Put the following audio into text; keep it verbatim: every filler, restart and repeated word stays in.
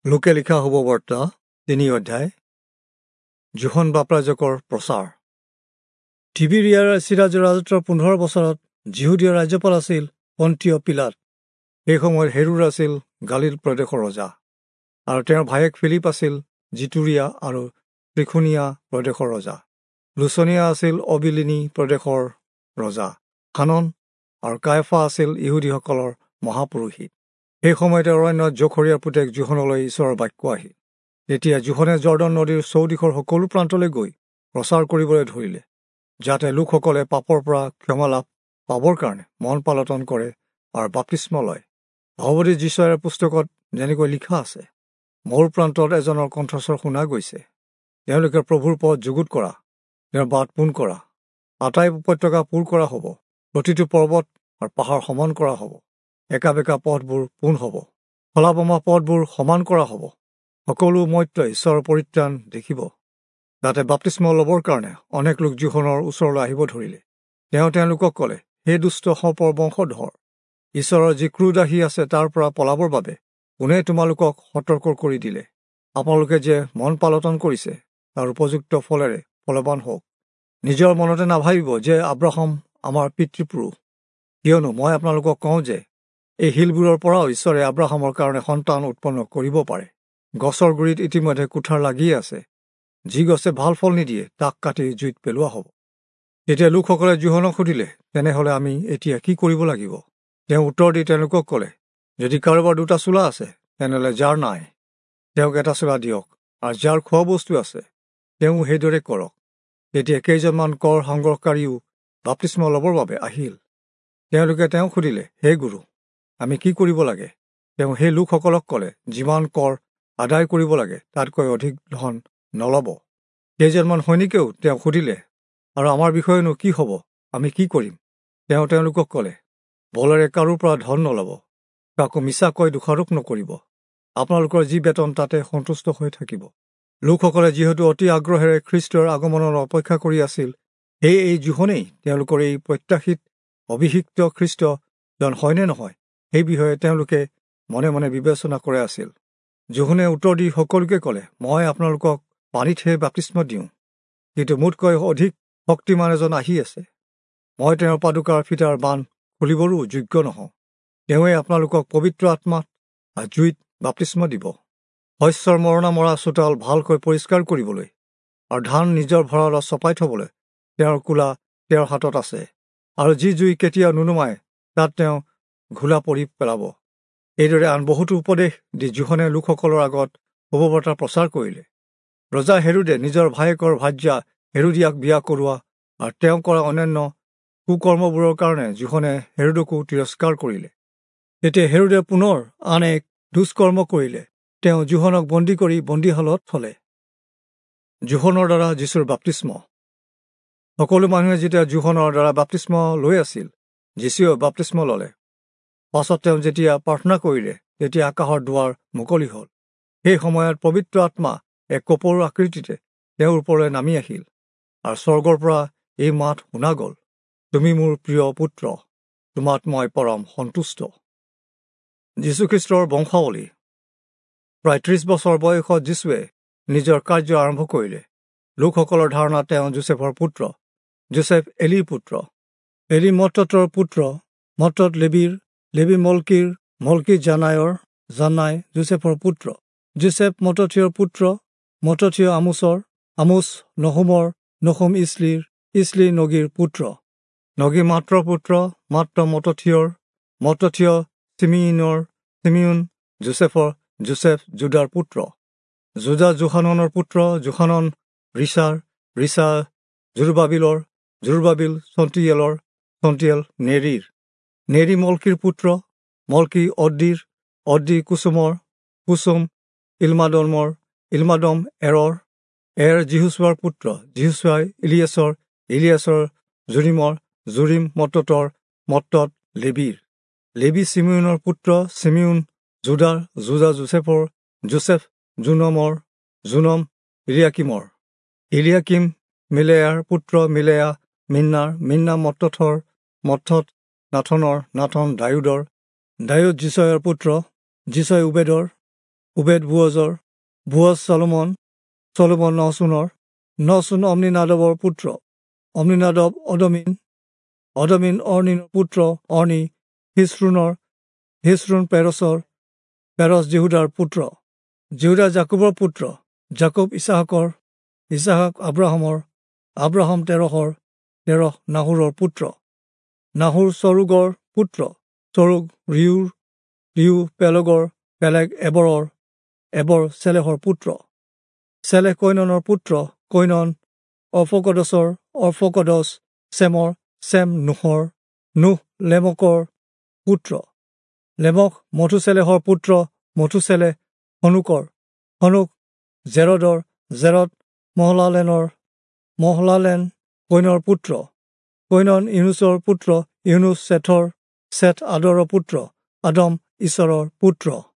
লোকে লিখা শুভবাৰ্তা তিনি অধ্যায়। যোহন বাপ্তাইজকৰ প্ৰচাৰ। তিবিৰিয়াৰ চিৰাজৰ ৰাজত্বৰ পোন্ধৰ বছৰত যিহুদীয় ৰাজ্যপাল আছিল পন্তীয় পিলাত। সেই সময়ত হেৰোদ আছিল গালিল প্ৰদেশৰ ৰজা, আৰু তেওঁৰ ভায়েক ফিলিপ আছিল জিতুৰিয়া আৰু ত্ৰিখুনীয়া প্ৰদেশৰ ৰজা। লুচনীয়া আছিল অবিলিনী প্ৰদেশৰ ৰজা। হানন আৰু কায়ফা আছিল ইহুদীসকলৰ মহাপুৰোহিত। সেই সময়তে অৰণ্যত জখৰিয়াৰ পুতেক যোহনলৈ ঈশ্বৰৰ বাক্য আহিল। তেতিয়া যোহনে জৰ্দন নদীৰ চৌদিশৰ সকলো প্ৰান্তলৈ গৈ প্ৰচাৰ কৰিবলৈ ধৰিলে, যাতে লোকসকলে পাপৰ পৰা ক্ষমা লাভ পাবৰ কাৰণে মন পালটন কৰে আৰু বাপ্তিস্ম লয়। ভাৱবাদী যিচয়াৰ পুস্তকত যেনেকৈ লিখা আছে, মোৰ প্ৰান্তত এজনৰ কণ্ঠস্বৰ শুনা গৈছে, তেওঁলোকে প্ৰভুৰ পথ যুগুত কৰা, তেওঁৰ বাট পোন কৰা। আটাই উপত্যকা পূৰ কৰা হ'ব, প্ৰতিটো পৰ্বত আৰু পাহাৰ সমান কৰা হ'ব, একা বেকা পথবোৰ পোন হ'ব, খলা-বমা পথবোৰ সমান কৰা হ'ব। সকলো মৰ্ত্যই ঈশ্বৰৰ পৰিত্ৰাণ দেখিব। তাতে বাপ্তিস্ম ল'বৰ কাৰণে অনেক লোক যোহনৰ ওচৰলৈ আহিব ধৰিলে। তেওঁ তেওঁলোকক ক'লে, হে দুষ্ট সৰ্পৰ বংশধৰ, ঈশ্বৰৰ যি ক্ৰোধ আহি আছে তাৰ পৰা পলাবৰ বাবে কোনে তোমালোকক সতৰ্ক কৰি দিলে? আপোনালোকে যে মন পালটন কৰিছে তাৰ উপযুক্ত ফলেৰে ফলৱান হওক। নিজৰ মনতে নাভাবিব যে আব্ৰাহাম আমাৰ পিতৃপুৰুষ, কিয়নো মই আপোনালোকক কওঁ যে এই শিলবোৰৰ পৰাও ঈশ্বৰে আব্ৰাহামৰ কাৰণে সন্তান উৎপন্ন কৰিব পাৰে। গছৰ গুৰিত ইতিমধ্যে কুঠাৰ লাগিয়ে আছে, যি গছে ভাল ফল নিদিয়ে তাক কাটি জুইত পেলোৱা হ'ব। তেতিয়া লোকসকলে যোহনক সুধিলে, তেনেহ'লে আমি এতিয়া কি কৰিব লাগিব? তেওঁ উত্তৰ দি তেওঁলোকক ক'লে, যদি কাৰোবাৰ দুটা চোলা আছে, তেনেহ'লে যাৰ নাই তেওঁক এটা চোলা দিয়ক, আৰু যাৰ খোৱা বস্তু আছে তেওঁ সেইদৰে কৰক। তেতিয়া কেইজনমান কৰ সংগ্ৰহকাৰীও বাপ্তিস্ম ল'বৰ বাবে আহিল। তেওঁলোকে তেওঁক সুধিলে, হে গুৰু, আমি কি কৰিব লাগে? তেওঁ সেই লোকসকলক ক'লে, যিমান কৰ আদায় কৰিব লাগে তাতকৈ অধিক ধন নল'ব। কেইজনমান সৈনিকেও তেওঁক সুধিলে, আৰু আমাৰ বিষয়েনো কি হ'ব, আমি কি কৰিম? তেওঁ তেওঁলোকক ক'লে, বলেৰে কাৰো পৰা ধন নল'ব, কাকো মিছাকৈ দোষাৰোপ নকৰিব, আপোনালোকৰ যি বেতন তাতে সন্তুষ্ট হৈ থাকিব। লোকসকলে যিহেতু অতি আগ্ৰহেৰে খ্ৰীষ্টৰ আগমনৰ অপেক্ষা কৰি আছিল, সেয়ে এই যোহনেই তেওঁলোকৰ এই প্ৰত্যাশিত অভিষিক্ত খ্ৰীষ্টজন হয়নে নহয় সেই বিষয়ে তেওঁলোকে মনে মনে বিবেচনা কৰে আছিল। যোহনে উত্তৰ দি সকলোকে ক'লে, মই আপোনালোকক পানীতহে বাপ্তিস্ম দিওঁ, কিন্তু মোতকৈ অধিক শক্তিমান এজন আহি আছে। মই তেওঁৰ পাদুকাৰ ফিটাৰ বান্ধ খুলিবৰো যোগ্য নহওঁ। তেওঁৱে আপোনালোকক পবিত্ৰ আত্মাত আৰু জুইত বাপ্তিস্ম দিব। শস্যৰ মৰণা মৰা চোতাল ভালকৈ পৰিষ্কাৰ কৰিবলৈ আৰু ধান নিজৰ ভঁৰালত চপাই থবলৈ তেওঁৰ কোলা তেওঁৰ হাতত আছে, আৰু যি জুই কেতিয়াও নুনুমায় তাত তেওঁ ঘোলা পৰি পেলাব। এইদৰে আন বহুতো উপদেশ দি যোহনে লোকসকলৰ আগত শুভবাৰ্তা প্ৰচাৰ কৰিলে। ৰজা হেৰোদে নিজৰ ভায়েকৰ ভাৰ্যা হেৰোদিয়াক বিয়া কৰোৱা আৰু তেওঁ কৰা অন্যান্য কুকৰ্মবোৰৰ কাৰণে যোহনে হেৰোদকো তিৰস্কাৰ কৰিলে। তেতিয়া হেৰোদে পুনৰ আন এক দুষ্কৰ্ম কৰিলে, তেওঁ যোহনক বন্দী কৰি বন্দীশালত থলে। যোহনৰ দ্বাৰা যীশুৰ বাপ্তিস্ম। সকলো মানুহে যেতিয়া যোহনৰ দ্বাৰা বাপ্তিস্ম লৈ আছিল, যীশুৱেও বাপ্তিস্ম ল'লে। পাছত তেওঁ যেতিয়া প্ৰাৰ্থনা কৰিলে, তেতিয়া আকাশৰ দুৱাৰ মুকলি হ'ল। সেই সময়ত পবিত্ৰ আত্মা এক কপৌৰ আকৃতিতে তেওঁৰ ওপৰলৈ নামি আহিল, আৰু স্বৰ্গৰ পৰা এই মাত শুনা গ'ল, তুমি মোৰ প্ৰিয় পুত্ৰ, তোমাত মই পৰম সন্তুষ্ট। যীশুখ্ৰীষ্টৰ বংশাৱলী। প্ৰায় ত্ৰিশ বছৰ বয়সত যীশুৱে নিজৰ কাৰ্য আৰম্ভ কৰিলে। লোকসকলৰ ধাৰণা তেওঁ যোচেফৰ পুত্ৰ, যোচেফ এলিৰ পুত্ৰ, এলি মত্ততৰ পুত্ৰ, মত্তত লেবীৰ, লেবী মলকিৰ, মলকি জানায়ৰ, জানাই যোচেফৰ পুত্ৰ, যোচেফ মত্তথিয়ৰ পুত্ৰ, মত্তথিয় আমোচৰ, আমোচ নহুমৰ, নহুম ইছলিৰ, ইছলি নগীৰ পুত্ৰ, নগী মাত্ৰ পুত্ৰ, মাত্ৰ মত্তথিয়ৰ, মত্তথিয় চিমিউনৰ, চিমিউন যোচেফৰ, যোচেফ জুদাৰ পুত্ৰ, জুদা যোহাননৰ পুত্ৰ, যোহানন ৰিচাৰ, ৰিচা জোৰবাবিলৰ, জোৰবাবিল চন্তিয়েলৰ, চন্তিয়েল নেৰিৰ, নেৰি মলকিৰ পুত্ৰ, মলকি অদ্দিৰ, অদ্দি কুচুমৰ, কুচুম ইলমাদমৰ, ইলমাদম এৰৰ, এৰ জিহুচুৱাৰ পুত্ৰ, জিহুচুৱাই ইলিয়াছৰ, ইলিয়াছৰ জুৰিমৰ, জুৰিম মত্ততৰ, মত্তত লেবীৰ, লেবী চিমিউনৰ পুত্ৰ, চিমিউন জুদাৰ, জুদা যোচেফৰ, যোচেফ জোনমৰ, জোনম ইলিয়াকিমৰ, ইলিয়াকিম মিলেয়াৰ পুত্ৰ, মিলেয়া মিন্নাৰ, মিন্না মত্তথৰ, মত্তথ নাথনৰ, নাথন দায়ূদৰ, দায়ূদ যিচয়ৰ পুত্ৰ, যিচয় উবেদৰ, ওবেদ বোৱজৰ, বোৱজ চলোমন, চলোমন নচোনৰ, নচোন অম্নিনাদৱৰ পুত্ৰ, অম্নিনাদৱ অদমিন, অদমিন অৰ্ণিনৰ পুত্ৰ, অৰ্ণি হিস্ৰোণৰ, হিস্ৰোণ পেৰছৰ, পেৰছ জিহুদাৰ পুত্ৰ, জিহুদা যাকোবৰ পুত্ৰ, যাকোব ইছাহাকৰ, ইছাহাক আব্ৰাহামৰ, আব্ৰাহাম তেৰহৰ, তেৰহ নাহোৰৰ পুত্ৰ, নাহোৰ চৰুগৰ পুত্ৰ, চৰুগ ৰিউৰ, ৰিউ পেলগৰ, পেলেগ এবৰৰ, এবৰ চেলেহৰ পুত্ৰ, চেলেহ কৈননৰ পুত্ৰ, কৈনন অৰ্ফকদছৰ, অৰ্ফকদছ চেমৰ, চেম নোহৰ, নোহ লেমকৰ পুত্ৰ, লেমক মথুচেলেহৰ পুত্ৰ, মথুচেলেহ হনোকৰ, হনোক জেৰদৰ, জেৰদ মহলালেনৰ, মহলালেন কৈনৰ পুত্ৰ, কৈনন ইউনুছৰ পুত্ৰ, ইউনুছ চেথৰ, চেথ আদৰৰ পুত্ৰ, আদম ঈশ্বৰৰ পুত্ৰ।